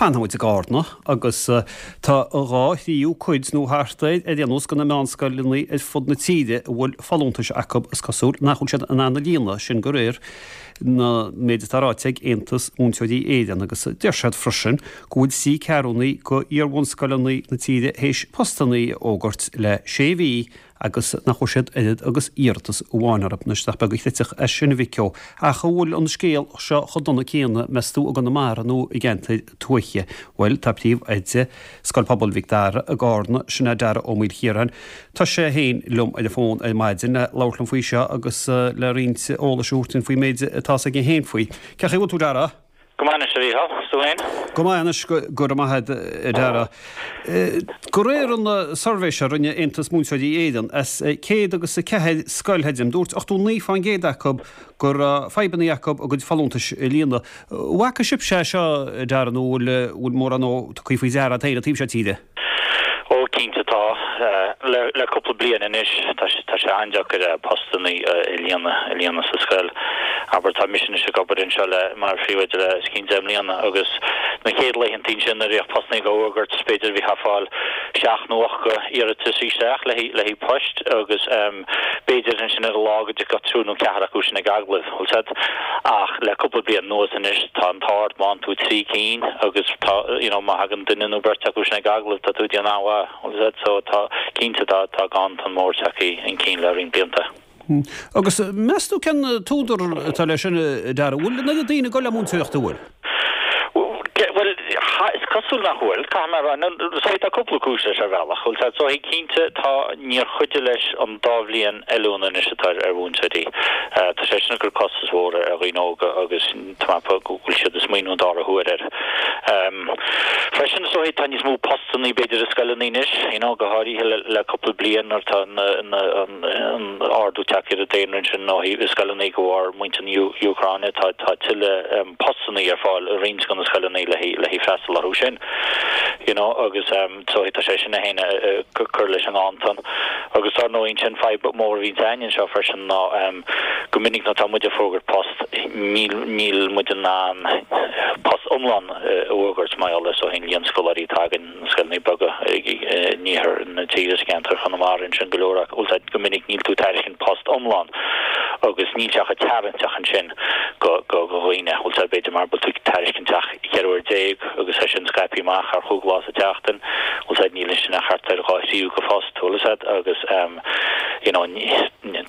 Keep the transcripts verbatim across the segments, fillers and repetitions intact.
Fanfaidh muid i gCarna agus tá dhá thríú cuid nó thart air ar aon nós de na meánscoileanna ar fud na tíre a bhfuil folúntais acu is cosúil nach bhfuil siad in ann a líonadh, sin de réir na méid atá ráite ag Aontas Múinteoirí Éireann agus deir siad freisin go bhfuil trí ceathrúna de iar-bhunscoileanna na tíre théis postanna a fhógairt le sé mhí agus nach bhfuair siad oiread agus iarratas amháin orthu. Anois nach beag a chreidfeadh é sin a Mhic Eo. Ach an bhfuil an scéal seo chomh dona céanna, meas tú, i gConamara nó i gceantair tuaithe? Bhuel, tá príomhoide Scoil Pobail Mhic Dara i gCarna, sin é Dara Ó Maoilchiaráin. Tá sé féin liom ar an bhfón ar maidin le labhairt liom faoi seo agus le roinnt eolais a thabhairt dúinn faoin méid atá a fhios aige féin faoi. Cén chaoi a bhfuil tú, Dara? Go maith anois, a Mhícheál. Is tú féin? Go maith anois, go raibh maith agat, a Dhara. De réir an suirbhé seo a rinne Aontas Múinteoirí Éireann, as céad agus a ceathair scoil theidim, dúirt ochtó naoi fán gcéad acu go raibh fadhbanna acu a gcuid folúntais a líonadh. An bhfaca sibhse é seo, a Dhara, nó bhfuil mórán tugtha faoi deara agat féin an taobh seo tíre? Ó, cinnte tá. Le cúpla bliain anois, tá sé an-deacair postanna a líonadh, a líonadh sa scoil. Abair, tá mise anois ag obair anseo le, mar phríomhoide le os cionn deich mbliana agus na chéad laethanta ansin nuair a bhíodh postanna á bhfógairt, b'fhéidir bhítheá ag fáil seacht nó ocht iarratas isteach le haghaidh poist agus b'fhéidir ansin ar an lá go dtiocfadh triúr nó ceathrar acu sin ag agallamh, bhfuil 's agat. Ach le cúpla bliain anuas anois, tá an t-ádh ort má fhaigheann tú trí cinn agus tá, you know, má thagann duine nó beirt acu sin ag agallamh, tá tú ag déanamh an-mhaith, bhfuil 's agat. So tá, cinnte tá, tá ganntan mór tagtha chun cinn le roinnt blianta. Agus meas tú cén t-údar atá leis sin, a Dhara? Bhfuil an oiread daoine ag dul le múinteoireacht, an bhfuil? Bhuel, is cosúil nach bhfuil, caithfidh mé a rá. So tá cúpla cúis leis ar bhealach. Bhuel, so cinnte tá, níor chuidigh leis an dá bhliain oiliúna anois atá ar mhúinteoirí. Tá sé sin ag cur costas mhór ar dhaoine óga agus tá mé ag ceapadh go bhfuil siad ag smaoineamh an dara huair air. Freisin is dóigh tá níos mó postannaí b'fhéidir i scoileanna anois, you know, go háirithe le le cúpla bliain nuair atá na na an an ardú tagtha ar an daonra ansin ó thaobh i scoileanna de bharr muintir na Úcráine tá tá tuilleadh postannaí ar fáil i roinnt de na scoileanna le haghaidh le haghaidh freastal orthu sin, you know, agus so tá sé sin é féin ag cur leis an nganntan. Agus dar ndóigh ansin fadhb mhór a bhíonns againn anseo freisin ná go minic nuair atá muid ag fógairt post níl níl muid in ann post iomlán a fhógairt mar gheall ar so an líon scoláirí atá againn na scoileanna beaga in iarthar na tíre sa gceantar Chonamara ansin go leor acu bhfuil go minic níl tú ag tairiscint post iomlán agus níl sé chomh tarraingteach ansin go go go dhaoine bhfuil sé b'fhéidir mar bhfuil tú ag tairiscint ach ceithre uair déag agus é sin scaipthe amach ar chúig lá sa tseachtain bhfuil sé níl sin ach thart ar dhá thríú go phost bhfuil sé agus you know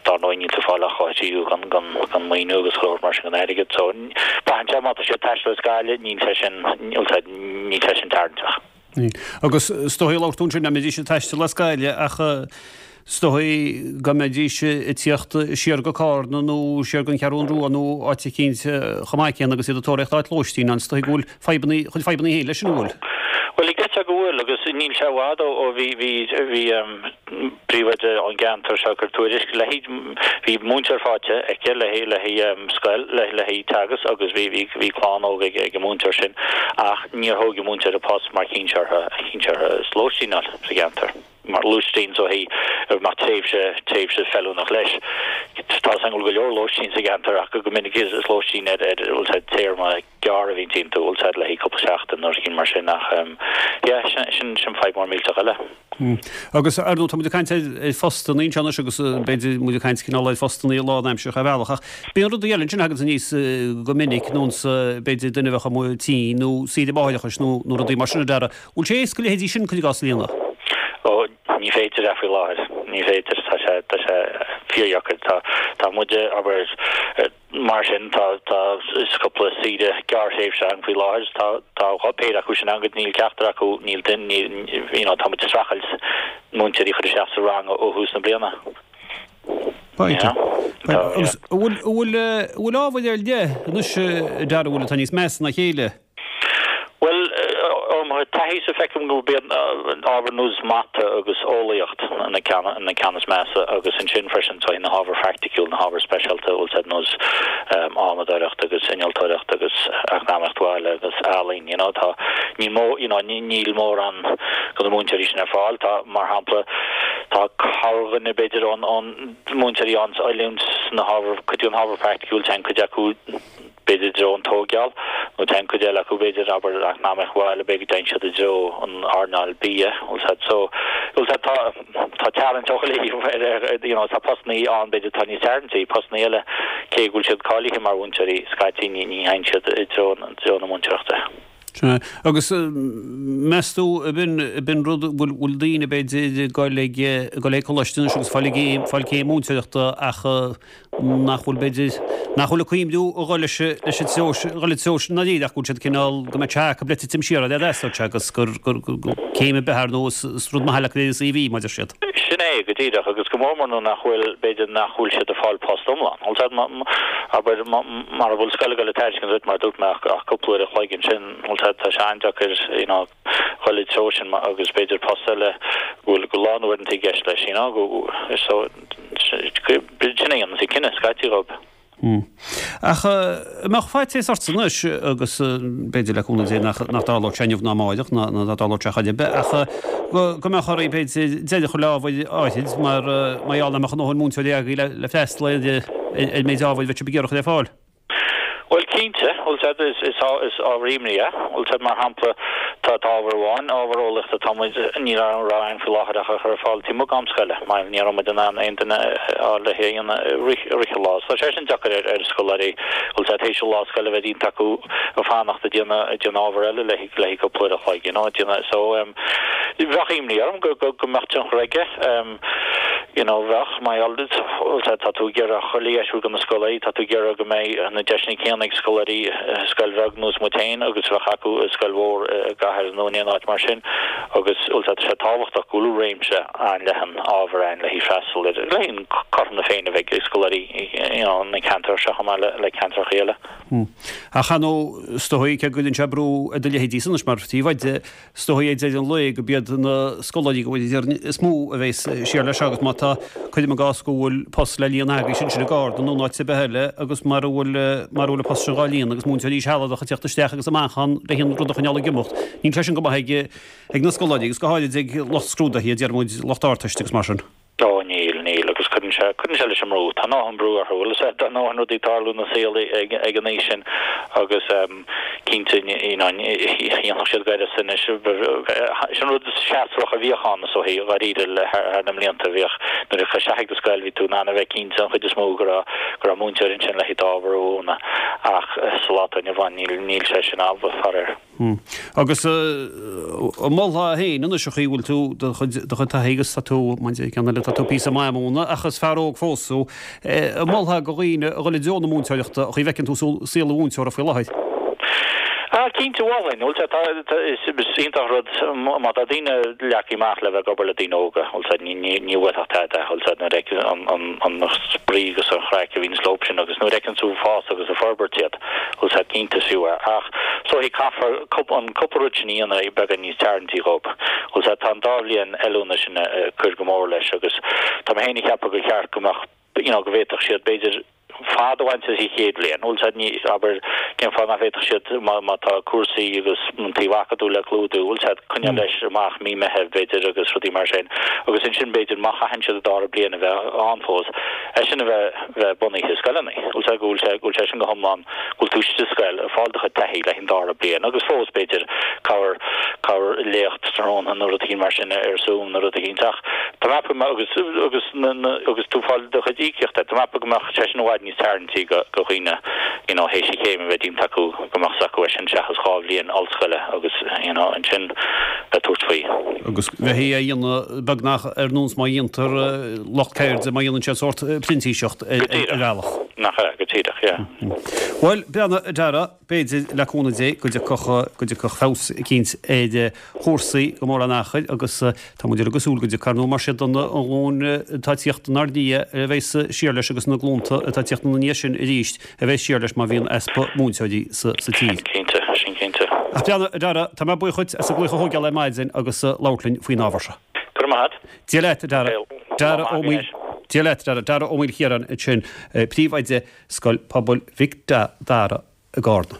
dar ndóigh níl tú ag fáil ach dhá thríú gan gan gan maoiniú agus go leor mar sin gan airgead so braitheann sé má tá siad ag taisteal as Gaillimh níl sé sin níl sé níl sé sin tarraingteach. Agus is dóigh labhair tú ansin nach mbeidís ag taisteal as Gaillimh ach is dóigh go mbeidís ag tíocht siar go Cárna nó siar go an Cheathrú Rua nó áit eicínt chomh maith céanna agus iad ag tóraíocht áit lóistín ann. Is dóigh go bhfuil fadhbanna chuid fadhbanna féin leis sin an bhfuil? Bhuel, deirtear go bhfuil agus níl sé i bhfad ó ó bhí bhí bhí príomhoide ón gceantar seo ag cur tuairisc le bhí múinteoir faighte aici le le scoil le le teagasc agus bhí bhí bhí clann óg ag ag an múinteoir sin ach níor thóg an múinteoir a post mar chinn sé orthu chinn sé orthu lóistín a fháil sa gceantar mar lóistín so hí mar tréimhse tréimhse feiliúnach leis. Tá an go leor lóistín sa gceantar ach go minic is lóistín ar ar bhfuil sé téarma gearr a bhíonn iontu bhfuil sé le haghaidh cúpla seachtain nó rud mar sin ach yeah sin sin fadhb mór millteach eile. Agus ar ndóigh tá muid ag caint ar phostanna anseo anois agus b'fhéidir muid ag caint cineál ar phostanna lánaimseartha ar bhealach ach bíonn rudaí eile ansin a thagann aníos go minic nó b'fhéidir duine a bheadh amuigh tinn nó saoire máithreachais nó nó rudaí mar sin a Dhara. Bhfuil sé éasca leithéidí sin cuir i gcás a líonadh? Ó ní féidir é faoi láthair. Ní féidir tá sé tá sé fíordheacair tá tá muide abair Mar sin, tá tá cúpla saoire gearrthréimhse ann faoi láthair. Tá tá dhá péire acu sin ann agus níl ceachtar acu, níl duine, níl, you know, tá muid ag streachailt múinteoirí a chur isteach sa rang ó thús na bliana. Yeah. Tá, yeah. An bhfuil, an bhfuil, an bhfuil ábhair ar leith anois a Dhara, an bhfuil atá níos measa ná a chéile? Bhuel, ó mo thaithí-sa feicim go mbíonn ábhair ar nós mata agus eolaíocht na na ceann is measa agus ansin freisin tá na hábhair phraiticiúil, na hábhair speisialta, bhfuil ar nós adhmadóireacht agus innealtóireacht agus eacnamaíocht bhaile agus ealaín, you know, tá níl mó, you know, níl mórán de na múinteoirí sin ar fáil. Tá, mar shampla, tá corrdhuine b'fhéidir ón ón múinteoirí ann oiliúint sna hábhair, cuid den ábhar praiticiúil, téann cuid acu, b'fhéidir i dtreo an tógáil Nó téann cuid eile acu b'fhéidir, abair, eacnamaíocht bhaile, b'fhéidir go dtéann siad i dtreo an earnáil bia, bhfuil 's a'd. So, bhfuil 's a'd, tá, tá tarraingt ó chuile thaobh ar, ar, you know, tá postannaí ann b'fhéidir atá níos tarraingtí, postannaí eile, cé go bhfuil siad cáilithe mar mhúinteoirí, scaití ní, ní théann siad i dtreo, i dtreo na múinteoireachta. Sin é. Agus meas tú, ab in, ab in rud, bhfuil, bhfuil daoine b'fhéidir ag dul ag, ag dul ag coláiste anois agus fáil céim, fáil céim múinteoireachta ach nach bhfuil b'fhéidir, nach bhfuil ag cuimhniú a dhul leis, leis an treo, a dhul an treo sin ndáiríre ach go bhfuil siad cineál, go mbeadh sé acu le titim siar ar a dteastódh sé agus gur, gur, gur céim ar bith ar ndóigh is, is rud maith le cur ar an CV mar a deir siad. Sin é, go díreach, agus go mór mór nuair nach bhfuil, b'fhéidir nach bhfuil siad ag fáil post iomlán. Bhfuil 's a'd, abair, mara bhfuil scoil ag dul ag tairiscint duit mar a dúirt mé ach ach cúpla uair a chloig ansin, bhfuil 's a'd, tá sé an-deacair, you know, dhul i dtreo sin agus b'fhéidir post eile go bhfuil go lán uaireanta i gceist leis, you know, go, so, sin é a dhéanann an cinneadh scaití dhóibh. Ach an mbeadh faitíos ortsa anois, agus b'fhéidir le cúnamh Dé nach dtarlódh sé inniu ná amáireach, ná nach dtarlódh sé chor ar bith, ach go mbeadh oraibh b'fhéidir deireadh a chur le ábhair áithrid mar mar gheall nach mbeadh a ndóthain múinteoirí agaibh le freastal ar an méid ábhair a bheadh sibh ag iarraidh a chur ar fáil. Bhuel, cinnte, bhfuil 's a'd, is, is, is ábhar imní é, bhfuil 's a'd, mar shampla, tá, tá ábhar amháin, ábhar eolaíochta, tá muid, ní raibh againn faoi láthair ach a chur ar fáil taobh amuigh d'am scoile, mar ní raibh muid in ann aon duine a fháil le hé a dhéanamh i rith, i rith an lá. So tá sé sin deacair ar, ar scoláirí, bhfuil 's a'd, théis an lá scoile a bheith déanta acu ag fanacht ag déanamh, ag déanamh ábhar eile le, le cúpla uair a chloig, you know, ag déanamh, so, em, bheadh imní orm go, go, go mbeadh tionchar aige, em, you know, bheadh, mar gheall, bhfuil 's a'd, tá tú ag iarraidh chuile dheis a thabhairt do na scoláirí, tá tú ag iarraidh go mbeidh na deiseanna céanna ag scoláirí i scoil bheag nós muid féin agus a bheadh acu i scoil mhór i gcathair nó in aon áit mar sin agus, bhfuil 's a'd, tá sé tábhachtach go bhfuil réimse an-leathan ábhar ann le haghaidh freastal ar, le haghaidh cothrom na Féinne a bheidh ag scoláirí, you know, na ceantar seo chomh maith le, le ceantracha eile. Ach ar ndóigh, is dóigh, cé go gcuireann sé brú ar do leithéidísa anois mar phríomhoide, Is dóigh ag deireadh an lae gurb iad na scoláirí go bhfuil idir is mó a bheas siar leis seo agus má tá, cuirim i gcás go bhfuil post le líonadh agaibhse ansin i gCarna nó in áit ar bith eile agus mara bhfuil, mara bhfuil an post sin dhá líonadh agus múinteoirí sealadacha ag teacht isteach agus amach ann le haon rud a choinneáil ag imeacht, níl sé sin go maith ag, ag na scoláirí agus go háirid ag lucht scrúdaithe, a deir muid, lucht Ardteiste agus mar sin. Ó níl, níl, agus cuireann sé, cuireann sé leis an mbrú. Tá a ndóthain brú orthu, bhfuil 'fhios a'd, tá a ndóthain rudaí ag tarlú ina saol ag, ag an aois sin agus cinnte, you know, dhéanfadh siad gaireas anois. Sin rud seasmhach a bhíodh ann is dóichí, dháiríre, le thar na mblianta, bhíodh, nuair a chuaigh isteach ag do scoil, bhí tú in ann a bheith cinnte an chuid is mó go raibh, go raibh múinteoir ansin le haghaidh d'ábhar a mhúineadh ach sa lá atá inniu ann níl, níl sé sin amhlaidh, faraor. Agus an molfá féin anois a chaoi a bhfuil tú do chuid do chuid taithí agus tá tú, mar deir ceann eile, tá tú píosa maith ag múineadh ach is fear óg fós thú, an molfá do dhaoine a dhul i dtreo na múinteoireachta a chaoi a bhfeiceann tú saol an mhúinteora faoi láthair? Ah cinnte mholfainn, bhfuil 's a'd, tá, tá, is iontach rud má tá daoine leagtha amach le bheith ag obair le daoine óga, bhfuil 's a'd, ní, ní, ní bhuailfeadh tada, bhfuil 's a'd, nuair a fheiceann an, an, an spraoi agus an chraic a bhíonns leo sin agus nuair a fheiceann tú ag fás agus ag forbairt iad. Bhfuil 's a'd cinnte is fiú é. Ach is dóichí caithfear an cúpla rud sin a dhéanamh beagán níos tarraingtí dhóibh. Bhfuil 's a'd tá an dá bhliain oiliúna sin ag cur go mór leis agus tá mé féin ag ceapadh gur cheart go mbeadh you know go bhféadfadh siad b'fhéidir fad a bhaint as an chéad bhliain. Bhfuil 's a'd ní abair cén fáth nach bhféadfadh siad má má tá cúrsaí agus an taobh acadúil le clúdú bhfuil 's a'd coinneáil leis amach mí Meitheamh b'fhéidir agus rudaí mar sin agus ansin b'fhéidir má chaitheann siad an dara bliain a bheith ann fós é sin a bheith bheith bunaithe i scoileanna. Bhfuil 's a'd go bhfuil sé go bhfuil sé sin go hiomlán, go bhfuil tú istigh sa scoil ag fáil do chuid taithí le haghaidh an dara bliain agus fós b'fhéidir cabhair cabhair léacht tráthnóna nó rud éigin mar sin ar Zoom nó rud éigin ach tá mé ag ceapadh agus agus na na agus tú ag fáil do chuid íocaíochta tá mé ag ceapadh go mbeadh sé sin i bhfad níos tarraingtí go go dhaoine you know théis an chéim a bheith déanta acu go mbeadh 's acu é sin seachas dhá bhliain ollscoile agus you know ansin bheith tabhairt faoi. Agus bheith á dhéanamh beagnach ar nós mar a dhéantar lucht ceirde má dhéanann siad sórt printíseacht ar bhealach. Nach ea, go díreach, yeah. Bhuel, breathnaigh, a Dhara, b'fhéidir, le cúnamh Dé, go dtiocfadh, go dtiocfadh feabhas eicínt ar chúrsaí go mór an achair agus tá muid uilig ag súil go dtiocfaidh, ar ndóigh, mar siad an ghlúin atá ag tíocht inár ndiaidh a bheas siar leis agus na glúnta atá ag tíocht ina ndiaidh sin arís a bheas siar leis má bhíonn easpa múinteoirí sa tír. Sin cinnte, sin cinnte. Ach breathnaigh, a Dhara, tá mé buíoch dhuit as an glaoch a thógáil ar maidin agus labhairt linn faoin ábhar seo. Go raibh maith agat. Dia leat, a Dhara. Dara Ó Maoil. Dia leat, a Dhara. Dara Ó Maoilchiaráin ansin, Príomhoide Scoil Pobail Mhic Dara i gCarna.